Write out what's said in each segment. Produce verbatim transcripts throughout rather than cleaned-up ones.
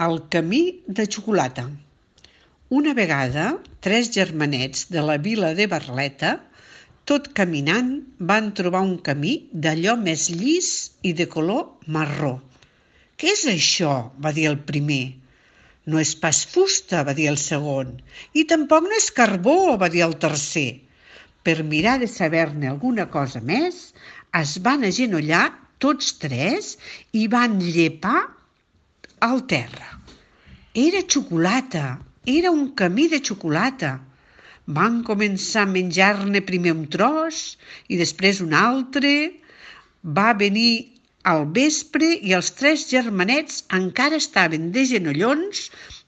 El camí de xocolata. Una vegada, tres germanets de la vila de Barleta, tot caminant, van trobar un camí d'allò més llis i de color marró. «Què és això?», va dir el primer. «No és pas fusta», va dir el segon. «I tampoc no és carbó», va dir el tercer. Per mirar de saber-ne alguna cosa més, es van agenollar tots tres i van llepar al terra. Era xocolata, era un camí de xocolata. Van començar a menjar-ne primer un tros i després un altre. Va venir al vespre i els tres germanets encara estaven de genollons,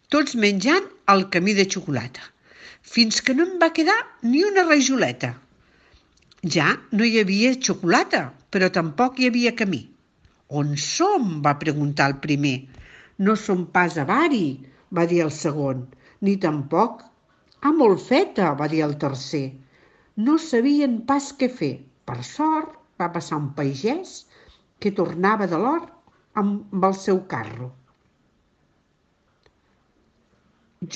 tots menjant el camí de xocolata, fins que no en va quedar ni una rajoleta. Ja no hi havia xocolata, però tampoc hi havia camí. «On som?», va preguntar el primer. «No som pas a Bari», va dir el segon, «ni tampoc a Molfeta», va dir el tercer. No sabien pas què fer. Per sort va passar un pagès que tornava de l'hort amb el seu carro.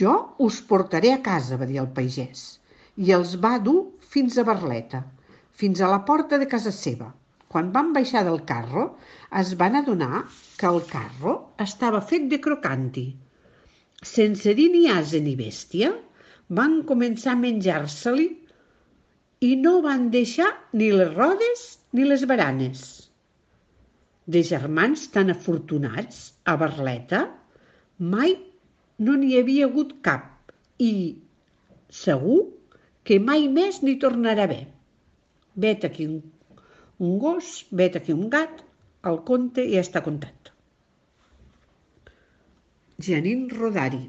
«Jo us portaré a casa», va dir el pagès, i els va dur fins a Barleta, fins a la porta de casa seva. Quan van baixar del carro, es van adonar que el carro estava fet de crocanti. Sense dir ni ase ni bèstia, van començar a menjar-se-li i no van deixar ni les rodes ni les baranes. De germans tan afortunats a Barleta mai no n'hi havia hagut cap i segur que mai més n'hi tornarà a haver. Vet aquí un, un gos, vet aquí un gat, el conte ja està contat. Janine Rodari.